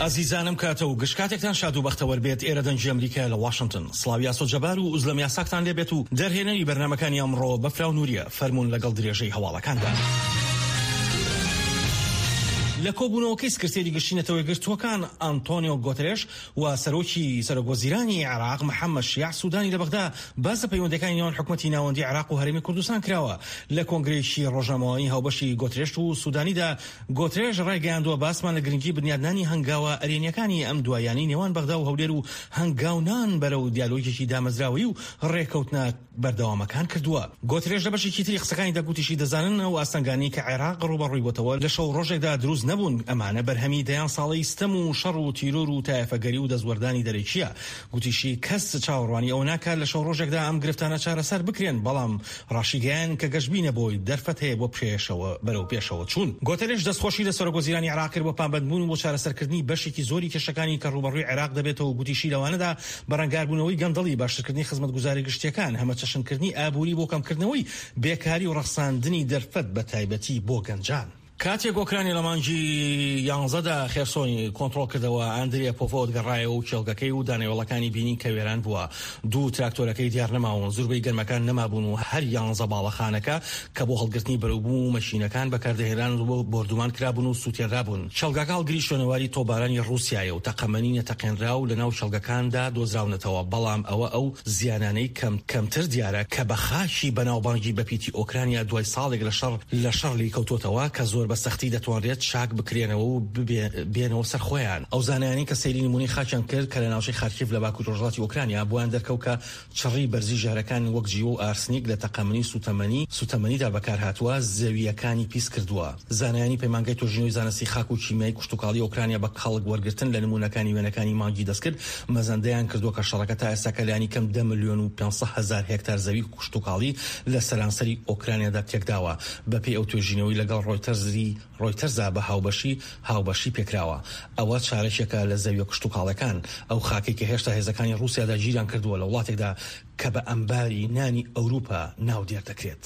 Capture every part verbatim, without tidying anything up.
ئازیزانم، کاتە و گشت کاتێکتان شاد و بەختەوەر بێت. ئێرە دەنگی ئەمریکا لە واشنگتن. سڵاوی ئاسۆ جەبار و ئوزلەم یاساکتان لێبێت و دەرهێنەری بەرنامەکانی ئەمڕۆ بەفراو نووریە. فەرمونون لەگەڵ درێژەی هەواڵەکاندا. لە کۆبوونەوەکەی سکرتێری گشتی نەتەوە یەکگرتووەکان ئەنتۆنیۆ گۆترێش و سەرۆکی سەرۆک وەزیرانی عێراق محەممەد شیاع سودانی لە بەغدا، باس لە پەیوەندەکانی نێوان حکومەتی ناوەندی عێراق و هەرێمی کوردستان کراوە. لە کۆنگرەیەکی ڕۆژنامەوانی هاوبەشی گۆترێش و سودانیدا، گۆترێش ڕایگەیاندووە، باسمان لە گرنگی بنیادنانی هەنگاوە ئەرێنیەکانی ئەم دوایانەی نێوان بەغدا و هەولێر و هەنگاونان بەرەو دیالۆگێکی دامەزراوەیی و ڕێکەوتنە بەردەوامەکان کردووە. گۆترێش لە بەشێکی تری قسەکانی دەگوتیشی، دەزانن ئەو ئاستەنگانی کە عێراق ڕووبەڕووی بۆتەوە لە شەو ڕۆژێکدا دروست نەبوون، ئەمانە بەرهەمی دەیان ساڵەی ستەم و شەڕ و تیرۆر و تایەفەگەری و دەستوەردانی دەرەکیە. گوتیشی، کەس چاوەڕوانی ئەوە ناکات لە شەو ڕۆژێکدا ئەم گرفتانە چارەسەر بکرێن، بەڵام ڕاشیگەیان کە گەشبینە بۆی دەرفەت هەیە بۆ پێشەوە بەرەو پێشەوە چوون. گۆترێش دەستخۆشی لە سەرۆک وەزیرانی عێراق کرد بۆ پابەندبوون بۆ چارەسەرکردنی بەشێکی زۆری کێشەکانی کە ڕووبەڕووی عێراق دەبێتەوە. گوتیشی، لەوانەدا بەرەنگاربوونەوەی گەندەڵی، باشترکردنی خزمەتگوزاری گشتیەکان، هەمەچەشنکردنی ئابووری بۆ کەمکردنەوەی بێکاری و ڕەخساندنی دەرفەت بە تایبەتی بۆ گەنجان. کاتێک ئۆکرانیا لە مانگی یانزەدا خێرسۆنی کۆنترۆڵ کردەوە، ئەندریا پۆفۆت گەڕایەوە و کێڵگەکەی و دانەوێڵەکانی بینی کە وێران بووە. دوو تراکتۆرەکەی دیار نەماون، زوربەی گەرمەکان نەمابوون و هەر یانزە باڵەخانەکە کە بۆ هەڵگرتنی بەرەوبوو و مەشینەکان بەکاردەهێنران و بۆردومان کرابوون و سووتێنرابوون. کێڵگەکە هەڵگری شوێنەواری تۆپبارانی ڕووسیایە و تەقەمەنی نەتەقێنرا و لەناو کێڵگەکاندا دۆزراونەتەوە، بەڵام ئەوە ئەو زیانانەی کەم کەمتر دیارە کە بە خاکی بەناوبانگی بەپیتی ئۆکرانیا دوای ساڵێک لە شەڕ لە شەڕ لی کەوتۆتەوە کە زۆر بە سەختی دەتوانرێت چاک بکرێنەوە و بێنەوە سەر خۆیان. ئەو زانایانی کە سەیری نمونەی خاکیان کرد کە لە ناوچەی خارکیف لە باکوور ڕۆژهەڵاتی ئۆکرانیا، بۆیان دەرکەوت کە چڕی بەرزی ژەهرەکان وەک جیوە و ئارسنیک لە تەقەمەنی سوتەمەنی سوتەمەنیدا بەکارهاتووە زەویەکانی پیس کردووە. زانایانی پەیمانگای توێژینەوەی زانستی خاک و کیمیای کشتوکاڵی ئۆکرانیا بە کەڵک وەرگرتن لە نمونەکانی وێنەکانی مانگی دەستکرد مەزەندەیان کردووە کە شەڕەکە تا ئێستا کە لانی کەم ده ملیۆن و پێنج سەد هەزار هێکتار زەوی کشتوکاڵی لە سەرانسەری ئۆکرانیادا تێکداوە. بەپێی ئەو توێژینەوەی لەگەڵ ڕۆیتەرزی ڕۆیتەرزا بە هاوبەشی هاوبەشی پێکراوە، ئەوە چارەکێکە لە زەویە کشتوکاڵەکان، ئەو خاکێک کە هێشتا هێزەکانی ڕووسیادا گیریان کردووە، لە وڵاتێکدا کە بە ئەمباری نانی ئەوروپا ناودێر دەکرێت.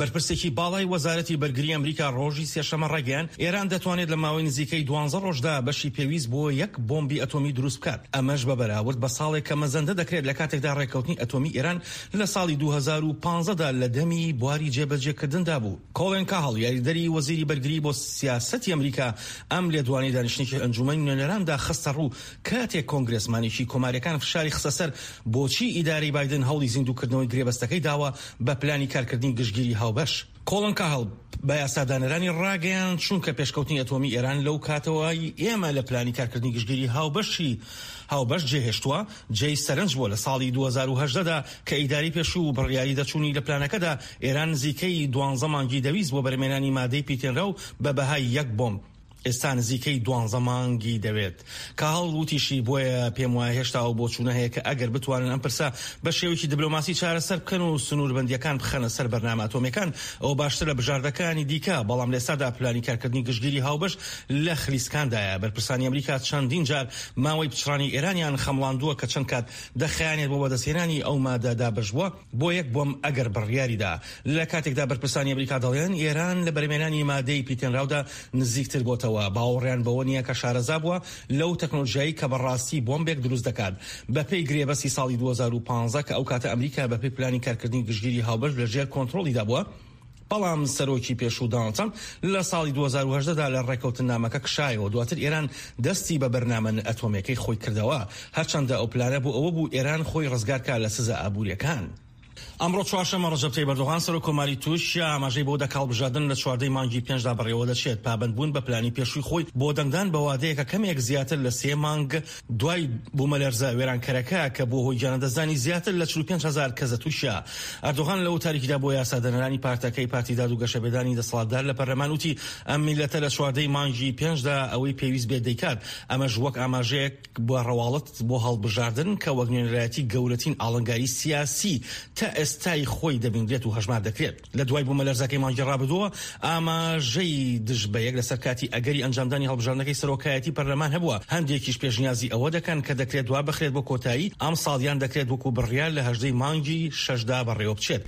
بەرپرسێکی باڵای وەزارەتی بەرگری ئەمریکا ڕۆژی سێشەمە ڕایگەیاند، ئێران دەتوانێت لە ماوەی نزیکەی دوانزە ڕۆژدا بەشی پێویست بۆ یەک بۆمبی ئەتۆمی دروست بکات، ئەمەش بە بەراورد بە ساڵێک کە مەزەندە دەکرێت، لە کاتێکدا ڕێککەوتنی ئەتۆمی ئێران لە ساڵی دوو هەزار و پازدە دا لە دەمی بواری جێبەجێکردندا بوو. کۆڵێن کاهڵ، یاریدەری وەزیری بەرگری بۆ سیاسەتی ئەمریکا، ئەم لێدوانی دانیشتنێکی ئەنجومەنی نوێنەراندا خستە ڕوو، کاتێک کۆنگرێسمانێکی کۆماریەکان فشاری خستە سەر بۆچی ئیدارەی بایدن هەوڵی زیندووکردنەوەی گرێبەستەکەی داوە بە پلانی کارکردنی گشتگیری هاوبەش. کۆڵن کاهڵ بە یاسادانەرانی ڕاگەیان، چونکە پێشکەوتنی ئەتۆمی ئێران لەو کاتەوەی ئێمە لە پلانی کارکردنی گشتگیری هاوبەشی هاوبەش جێهێشتووە جێی سەرنج بووە. لە ساڵی دوو هەزار و هەژدە دا کە ئیداری پێشوو بڕیاری دەچوونی لە پلانەکەدا، ئێران نزیکەی دوانزە مانگی دەویست بۆ بەرهەمهێنانی مادەی پیتێنراو بە بەهای یەک بۆمب، ئێستا نزیکەی دوانزە مانگی دەوێت. کاهڵ وتیشی، بۆیە پێم وایە هێشتا ئەو بۆچوونە هەیە کە ئەگەر بتوانن ئەم پرسە بە شێوەیەکی دیبلۆماسی چارەسەر بکەن و سنووربەندیەکان بخەنە سەر بەرنامە ئەتۆمیەکان، ئەو باشتر لە بژاردەکانی دیکە، بەڵام لە ئێستادا پلانی کارکردنی گشتگیری هاوبەش لە خلیسکاندایە. بەرپرسانی ئەمریکا چەندین جار ماوەی پچڕانی ئێرانیان خەمڵاندووە کە چەند کات دەخایەنێت بۆ بەدەستهێنانی ئەو مادە دابەش بووە بۆ یەک بۆمب ئەگەر بڕیاریدا، لە کاتێکدا بەرپرسانی ئەمریکا دەڵێن ئێران لە بەرهەمهێنانی مادەی پیتێنراودا نزیکتر بۆتەوە، باوەڕیان بەوە نییە کە شارەزا بووە لەو تەکنۆلژیایی کە بەڕاستی بۆمبێک دروست دەکات. بەپێی گرێبەستی ساڵی دوو هەزار و پازدە کە ئەو کاتە ئەمریکا بەپێی پلانی کارکردنی گشتگیری هاوبەش لە ژێر کۆنترۆڵیدا بووە، بەڵام سەرۆکی پێشوو دۆناڵد ترامپ لە ساڵی دوو هەزار و هەژدە دا لە ڕێککەوتنامەکە کشایەوە. دواتر ئێران دەستی بە بەرنامە ئەتۆمیەکەی خۆی کردەوە، هەرچەندە ئەو پلانە بۆ ئەوە بوو ئێران خۆی ڕزگارکا لە سزا ئابووریەکان. ئەمڕۆ چوارشەممە ڕەجەب تەیب ئەردۆغان، سەرۆک کۆماری تورکیا، ئاماژەی بۆ دەکا هەڵبژاردن لە چواردەی مانگی پێنجدا بەڕێوە دەچێت، پابەندبوون بە پلانی پێشووی خۆی بۆ دەنگدان بە وادەیەکە کەمێک زیاتر لە سێ مانگ دوای بوومەلەرزە وێرانکەرەکە کە بۆ هۆی گیانلەدەستدانی زیاتر لە چل و پێنج هەزار کەس لە تورکیا. ئەردۆغان لە وتارێکیدا بۆ یاسادانەرانی پارتەکەی، پارتی داد و گەشەپێدانی دەسەڵاتدار لە پەرلەمان، وتی ئەم میلەتە لە چواردەی مانگی پێنجدا ئەوەی پێویست بێت دەیکات، ئەمەش وەک ئاماژەیەک بۆ ڕەواڵەت بۆ هەڵبژاردن کە وەک نوێنەرایەتی گەورەترین ئاڵنگاری سیاسی تا ئێستای خۆی دەبینرێت و هەژمار دەکرێت. لە دوای بوومەلەرزەکەی مانگی ڕابردووە، ئاماژەی دژ بە یەک لەسەر کاتی ئەگەری ئەنجامدانی هەڵبژاردنەکەی سەرۆکایەتی پەرلەمان هەبووە. هەندێکیش پێشنیازی ئەوە دەکەن کە دەکرێت دوا بخرێت بۆ کۆتایی ئەم ساڵیان دەکرێت وەکو بڕیار لە هەژدەی مانگی شەشدا بەڕێوە بچێت.